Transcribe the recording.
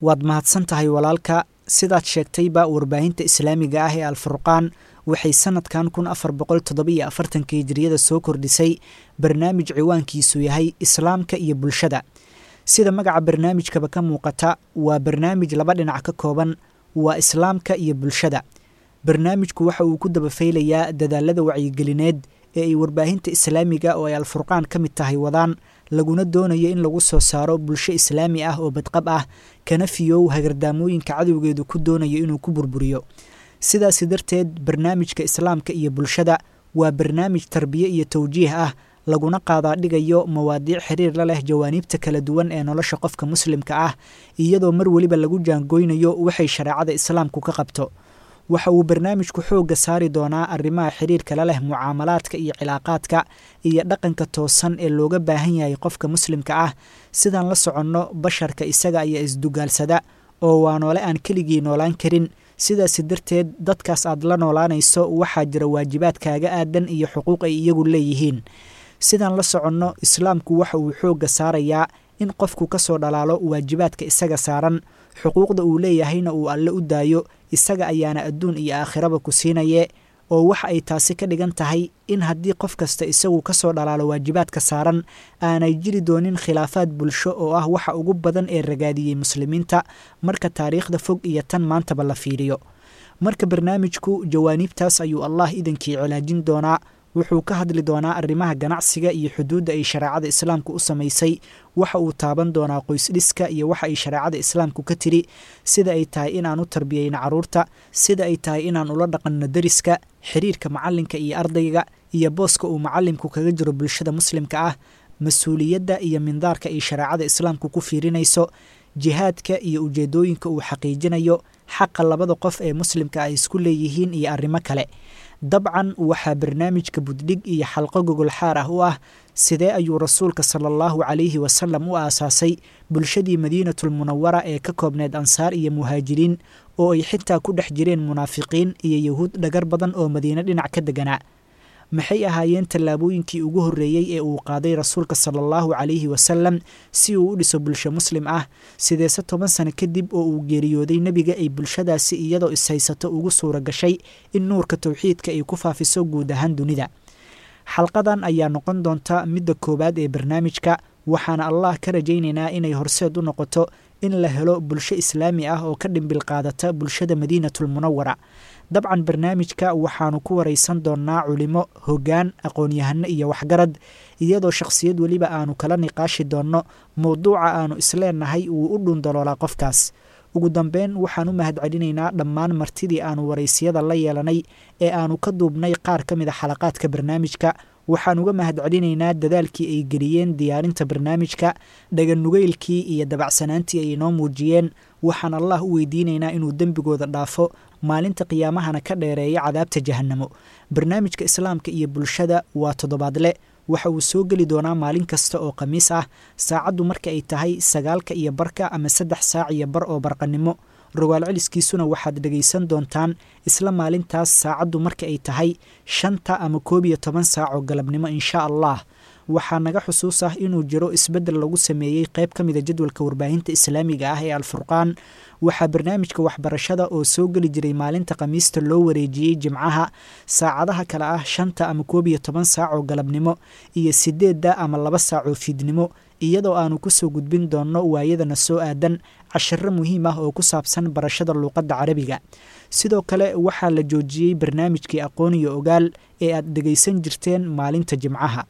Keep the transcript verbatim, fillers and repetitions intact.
Waad mahadsan tahay walaalka. Sidaad sheegtayba, warbaahinta islaamiga ah ee Alfurqaan waxay sanadkan kun afar boqol toddobiyo afartanka hijriyada soo kordhisay barnaamij ciwaankiisu yahay Islaamka iyo Bulshada. Sida magaca barnaamijkaba ka muuqata, waa barnaamij laba dhinac ka kooban, waa islaamka iyo bulshada. Barnaamijku waxa uu ku dabafaylayaa dadaalada wacyigelineed ee ay warbaahinta islaamiga oo ay Alfurqaan ka mid tahay wadaan, laguna doonayo in lagu soo saaro bulsho islaami ah oo badqab ah, kana fiyow hagardaamooyinka cadowgeedu ku doonayo inuu ku burburiyo. Sidaasi darteed, barnaamijka Islaamka iyo Bulshada waa barnaamij tarbiye iyo tawjiih ah, laguna qaadaa dhigayo mawaadiic xiriir la leh jawaaniibta kala duwan ee nolosha qofka muslimka ah, iyadoo mar weliba lagu jaangoynayo waxay shareecada islaamku ka qabto. Waxa uu barnaamijku xoogga saari doonaa arrimaha xiriirka la leh mucaamalaadka iyo cilaaqaadka iyo dhaqanka toosan ee looga baahan yahay qofka muslimka ah. Sidaan la soconno, basharka isaga ayaa isdugaalsada oo waa noole aan keligii noolaan karin. Sidaasi darteed, dadkaas aad la noolaanayso waxaa jira waajibaad kaaga aadan iyo xuquuq ay iyagu leeyihiin. Sidaan la soconno, islaamku waxa uu xoogga saarayaa in qofku ka soo dhalaalo waajibaadka isaga saaran, xuquuqda uu leeyahayna uu alle u daayo, isaga ayaana adduun iyo aakhiraba ku siinaye. Oo waxa ay taasi ka dhigan tahay in haddii qof kasta isagu ka soo dhalaalo waajibaadka saaran, aanay jiri doonin khilaafaad bulsho oo ah waxa ugu badan ee ragaadiyey muslimiinta marka taariikhda fog iyo tan maantaba la fiiriyo. Marka barnaamijku jawaaniibtaas ayuu Allah idankii cilaajin doonaa. Wuxuu ka hadli doonaa arrimaha ganacsiga iyo xuduudda ay shareecada islaamku u samaysay. Waxa uu taaban doonaa qoysdhiska iyo waxa ay shareecada islaamku ka tiri, sida ay tahay inaan u tarbiyeyno carruurta, sida ay tahay inaan ula dhaqanno deriska, xiriirka macalinka iyo ardayga, iyo booska uu macalimku kaga jiro bulshada muslimka ah, mas-uuliyadda iyo mindaarka ay shareecada islaamku ku fiirinayso, jihaadka iyo ujeedooyinka uu xaqiijinayo, xaqa labada qof ee muslimka ay isku leeyihiin iyo arrimo kale. Dabcan waxaa barnaamijka buddhig iyo xalqo gogol xaar ah u ah sidee ayuu rasuulka sala allahu calayhi wasalam u aasaasay bulshadii Madiinatulmunawara ee ka koobneed ansaar iyo muhaajiriin, oo ay xitaa ku dhex jireen munaafiqiin iyo yahuud dhagar badan oo madiine dhinac ka deganaa. Maxay ahaayeen tallaabooyinkii ugu horreeyey ee uu qaaday rasuulka sala allahu calayhi wasalam si uu u dhiso bulsho muslim ah? Sideese toban sano kadib oo uu geeriyooday nebiga ay bulshadaasi iyadoo ishaysato ugu suura gashay in nuurka towxiidka ay ku faafiso guud ahaan dunida? Xalqadan ayaa noqon doonta midda koowaad ee barnaamijka, waxaana Allah ka rajaynaynaa inay horseed u noqoto in la helo bulsho islaami ah oo ka dhimbil qaadata bulshada Madiinatulmunawara. Dabcan barnaamijka waxaanu ku waraysan doonnaa culimo, hoggaan, aqoon-yahano iyo waxgarad, iyadoo shakhsiyad weliba aanu kala niqaashi doonno mowduuca aanu isleenahay wuu u dhuundaloolaa qofkaas. Ugu dambeyn, waxaan u mahadcelinaynaa dhammaan martidii aanu waraysiyada la yeelanay ee aanu ka duubnay qaar ka mid a xalaqaadka barnaamijka. Waxaan uga mahadcelinaynaa dadaalkii ay geliyeen diyaarinta barnaamijka, dhaganugeylkii iyo dabacsanaantii ay inoo muujiyeen. Waxaan Allah u weydiinaynaa inuu dembigooda dhaafo, maalinta qiyaamahana ka dheereeya cadaabta jahannamo. Barnaamijka Islaamka iyo Bulshada waa toddobaadle. Waxa uu soo geli doonaa maalin kasta oo khamiis ah, saacaddu marka ay tahay sagaalka iyo barka ama saddex saac iyo bar oo barqanimo. Rogaal celiskiisuna waxaad dhegaysan doontaan isla maalintaas, saacaddu marka ay tahay shanta ama koob iyo toban saac oo galabnimo, insha Allah. Waxaa naga xusuus ah inuu jiro isbeddel lagu sameeyey qayb ka mida jadwalka warbaahinta islaamiga ah ee Alfurqaan. Waxaa barnaamijka waxbarashada oo soo geli jiray maalinta khamiista loo wareejiyey jimcaha, saacadaha kale ah shanta ama koob iyo toban saac oo galabnimo iyo sideedda ama laba saac oo fiidnimo, iyadoo aanu kusoo gudbin doonno waayadana soo aadan cashiro muhiim ah oo ku saabsan barashada luuqadda carabiga. Sidoo kale waxaa la joojiyey barnaamijkii Aqoon iyo Ogaal ee aad dhegaysan jirteen maalinta jimcaha.